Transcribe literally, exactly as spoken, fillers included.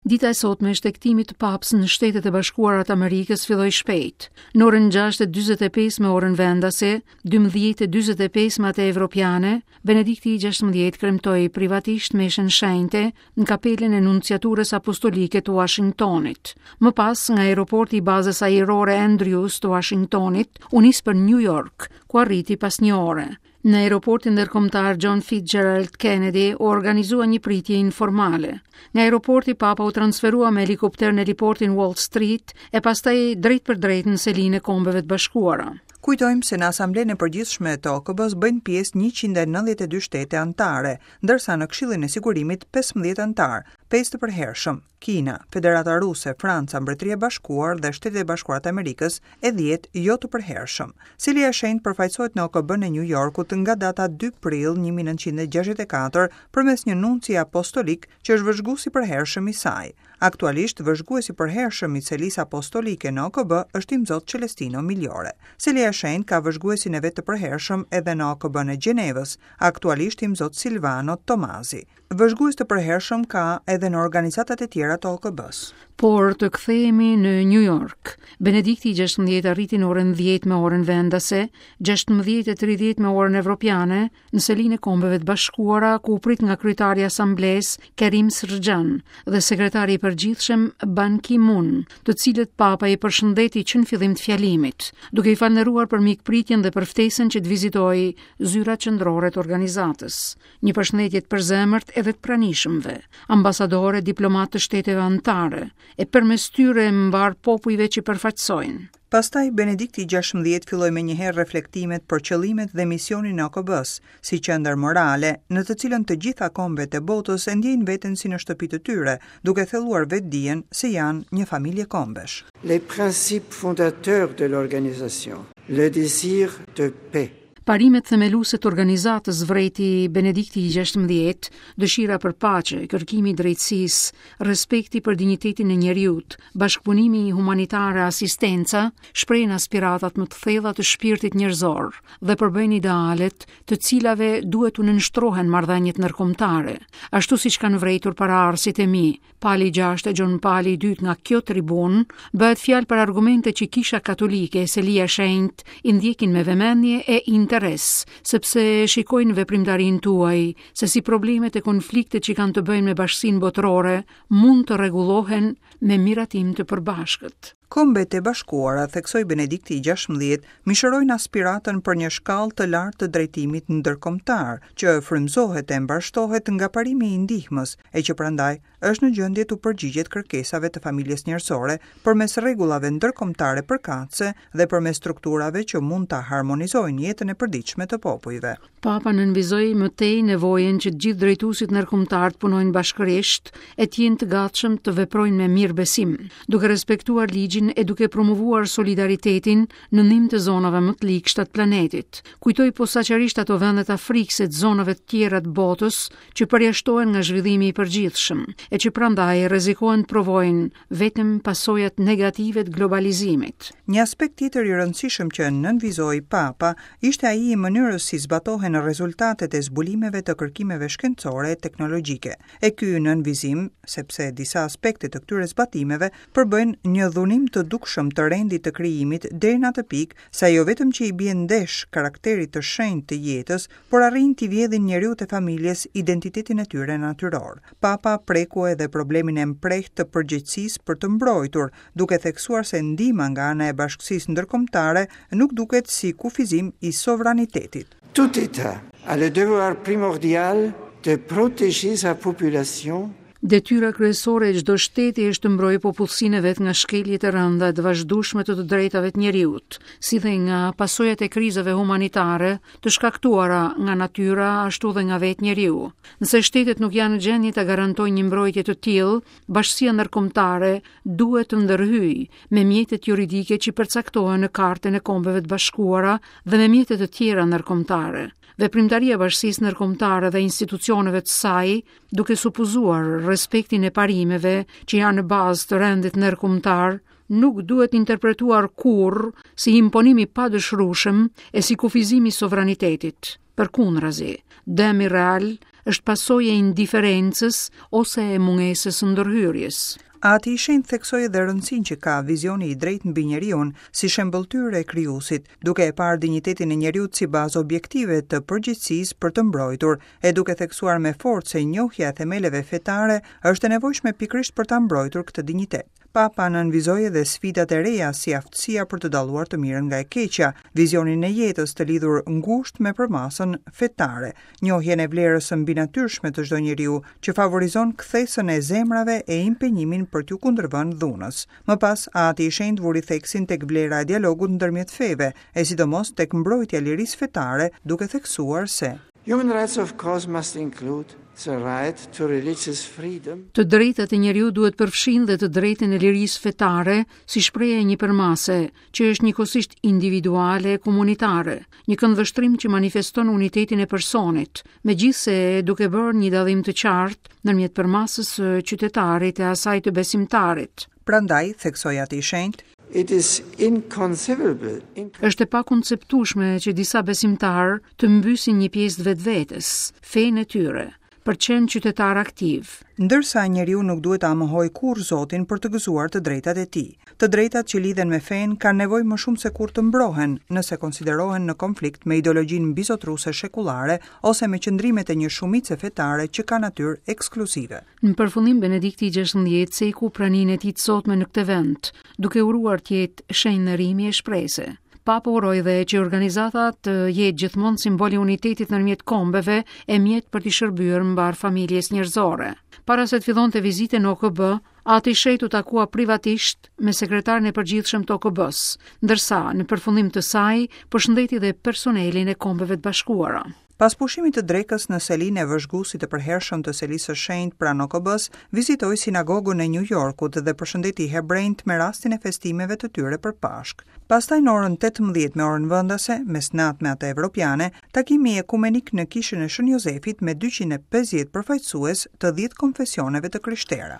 Dita e sotme e shtegtimit të Papës në Shtetet e Bashkuara të Amerikës filloi shpejt. Në orën gjashtë e dyzet e pesë me orën vendase, dymbëdhjetë e dyzet e pesë me atë evropiane, Benedikti i gjashtëmbëdhjetë kremtoi privatisht meshën shenjte në kapelën e Nunciaturës Apostolike të Washingtonit. Më pas, nga aeroporti i bazës ajrore Andrews të Washingtonit, u nis për New York, ku arriti pas një ore. Në aeroportin ndërkombëtar John Fitzgerald Kennedy u organizua një pritje informale. Nga aeroporti Papa u transferua me helikopter në heliportin Wall Street e pastaj drejt për drejt në selinë e Kombeve të Bashkuara. Kujtojmë se në Asamblenë e Përgjithshme të O K B-s bëjnë pjesë njëqind e nëntëdhjetë e dy shtete anëtare, ndërsa në Këshillin e Sigurimit pesëmbëdhjetë anëtar, pesë të përhershëm: Kina, Federata Ruse, Franca, Mbretëria e Bashkuar dhe Shtetet e Bashkuara të Amerikës, e dhjetë jo të përhershëm. Selia e Shenjtë përfaqësohet në O K B-në e New Yorkut nga data dy prill një mijë e nëntëqind e gjashtëdhjetë e katër përmes një nunci apostolik që është vëzhgues i përhershëm i saj. Aktualisht, vëzhguesi i përhershëm i Selisë Apostolike në O K B është Imzot Celestino Migliore. Selia e Shenjtë ka vëzhguesin e vet të përhershëm edhe në O K B-në e Gjenevës, aktualisht Imzot Silvano Tomasi. Vëzhgues të përhershëm ka edhe në organizatat e tjera të O K B-s. Por të kthehemi në New York. Benedikti i gjashtëmbëdhjetë arriti në orën dhjetë me orën vendase, gjashtëmbëdhjetë e tridhjetë me orën evropiane, në selinë e Kombeve të Bashkuara, ku u prit nga kryetari i Asamblesë Karim Sërxhan dhe sekretari i përgjithshëm Ban Ki-moon, të cilët Papa i përshëndeti që në fillim të fjalimit, duke i falënderuar për mikpritjen dhe për ftesën që të vizitojë zyrat qendrore të organizatës. Një përshëndetje të përzemërt edhe të pranishmëve, ambasadore, diplomatë të shteteve anëtare, e përmes tyre mbar popujve që përfaqësojnë. Pastaj Benedikti i gjashtëmbëdhjetë filloi me njëherë reflektimet për qëllimet dhe misionin e O K B-s, si qendër morale, në të cilën të gjitha kombet e botës e ndjejnë veten si në shtëpi të tyre, duke thelluar vetdijen se janë një familje kombesh. Les principes fondateurs de l'organisation, le désir de paix, Parimet themeluese të organizatës, vrejti Benedikti i gjashtëmbëdhjetë, dëshira për paqe, kërkimi i drejtësisë, respekti për dinjitetin e njeriut, bashkëpunimi humanitar e asistenca, shprehin aspiratat më të thella të shpirtit njerëzor dhe përbëjnë idealet të cilave duhet të nënshtrohen marrëdhëniet ndërkombëtare. Ashtu siç kanë vrejtur paraardhësit e mi, Pali gjashtë e Gjon Pali i dytë nga kjo tribunë, bëhet fjalë për argumente që Kisha Katolike e Selia e Shenjtë i ndjekin me vëmendje e interes, sepse shikojnë veprimtarinë tuaj, se si problemet e konfliktet që kanë të bëjnë me bashkësinë botërore mund të rregullohen me miratim të përbashkët. Kombet e Bashkuara, theksoi Benedikti i gjashtëmbëdhjetë, mishërojnë aspiratën për një shkallë të lartë të drejtimit ndërkombëtar, që frymëzohet e mbarshtohet nga parimi i ndihmës, e që prandaj është në gjendje të përgjigjet kërkesave të familjes njerëzore përmes rregullave ndërkombëtare përkatëse dhe përmes strukturave që mund ta harmonizojnë jetën e përditshme të popujve. Papa nënvizoi më tej nevojën që të gjithë drejtuesit ndërkombëtar të punojnë bashkërisht e të jenë të gatshëm të veprojnë me mirëbesim, duke respektuar ligjin e duke promovuar solidaritetin në ndihmë të zonave më të ligshta të planetit. Kujtoi posaçërisht ato vende të Afrikës e të zonave të tjera të botës që përjashtohen nga zhvillimi i përgjithshëm e që prandaj rrezikohen të provojnë vetëm pasojat negative të globalizimit. Një aspekt tjetër i rëndësishëm që nënvizoi Papa ishte ai i mënyrës si zbatohen rezultatet e zbulimeve të kërkimeve shkencore e teknologjike. E ky nënvizim, sepse disa aspekte të këtyre zbatimeve përbëjnë një dhunim të dukshëm të rendit të krijimit deri në atë pikë sa jo vetëm që i bie ndesh karakterit të shenjtë të jetës, por arrijnë t'i vjedhin njeriut e familjes identitetin e tyre natyror. Papa preku edhe problemin e mprehtë të përgjegjësisë për të mbrojtur, duke theksuar se ndihma nga ana e bashkësisë ndërkombëtare nuk duket si kufizim i sovranitetit. Tout État a le devoir primordial de protéger sa population. Detyra kryesore e çdo shteti është të mbrojë popullsinë e vet nga shkeljet e rënda e të vazhdueshme të të drejtave të njeriut, si dhe nga pasojat e krizave humanitare të shkaktuara nga natyra ashtu dhe nga vetë njeriu. Nëse shtetet nuk janë në gjendje të garantojnë një mbrojtje të tillë, bashkësia ndërkombëtare duhet të ndërhyjë me mjetet juridike që përcaktohen në Kartën e Kombeve të Bashkuara dhe me mjete të tjera ndërkombëtare. Veprimtaria e bashkësisë ndërkombëtare dhe institucioneve të saj, duke supozuar respektin e parimeve që janë në bazë të rendit ndërkombëtar, nuk duhet interpretuar kurrë si imponim i padëshirueshëm e si kufizim i sovranitetit. Përkundrazi, dëmi real është pasojë e indiferencës ose e mungesës së ndërhyrjes. Ati i Shenjtë theksoi edhe rëndësinë që ka vizioni i drejtë mbi njeriun si shembëlltyrë e krijuesit, duke e parë dinjitetin e njeriut si bazë objektive të përgjegjësisë për të mbrojtur, e duke theksuar me forcë se njohja e themeleve fetare është e nevojshme pikërisht për ta mbrojtur këtë dinjitet. Papa nënvizoi edhe sfidat e reja si aftësia për të dalluar të mirën nga e keqja, vizionin e jetës të lidhur ngushtë me përmasën fetare, njohjen e vlerës së mbinatyrshme të çdo njeriu që favorizon kthesën e zemrave e impenjimin për t'ju kundërvënë dhunës. Më pas, Ati i Shenjtë vuri theksin tek vlera e dialogut ndërmjet feve, e sidomos tek mbrojtja e lirisë fetare, duke theksuar se Human rights, of course, must include the right to religious freedom. Të drejtat e njeriut duhet përfshin dhe të drejtën e lirisë fetare si shprehje e një përmase, që është njëkohësisht individuale e komunitare, një këndvështrim që manifeston unitetin e personit, megjithëse duke bërë një dallim të qartë ndërmjet përmasës së qytetarit e asaj të besimtarit. Prandaj, theksoi Ati i Shenjtë, It is inconceivable. Është e pakonceptueshme që disa besimtar të mbysin një pjesë të vetvetes, fenë e tyre, për të qenë qytetar aktiv. Ndërsa njeriu nuk duhet ta mohojë kurrë Zotin për të gëzuar të drejtat e tij. Të drejtat që lidhen me fenë kanë nevojë më shumë se kur të mbrohen, nëse konsiderohen në konflikt me ideologjinë mbizotruese shekullare ose me qëndrimet e një shumice fetare që ka natyrë ekskluzive. Në përfundim, Benedikti gjashtëmbëdhjetë ceku praninë e tij të sotme në këtë vend, duke uruar të jetë shenjë nderimi e shprese. Papa uroi dhe që organizata të jetë gjithmonë simbol i unitetit ndërmjet kombeve e mjet për t'i shërbyer mbar familjes njerëzore. Para se të fillonte vizitën në O K B, Ati i Shenjtë u takua privatisht me sekretarin e përgjithshëm të O K B-s, ndërsa në përfundim të saj përshëndeti dhe personelin e Kombeve të Bashkuara. Pas pushimit të drekës në selinë e vëzhguesit të përhershëm të selisë së shenjtë pranë O K B-s, vizitoi sinagogën e New Yorkut dhe përshëndeti hebrejt me rastin e festimeve të tyre për Pashkë. Pastaj në orën tetëmbëdhjetë me orën vendase, mesnatë me atë evropiane, takimi ekumenik në kishën e Shën Jozefit me dyqind e pesëdhjetë përfaqësues të dhjetë konfesioneve të krishtera.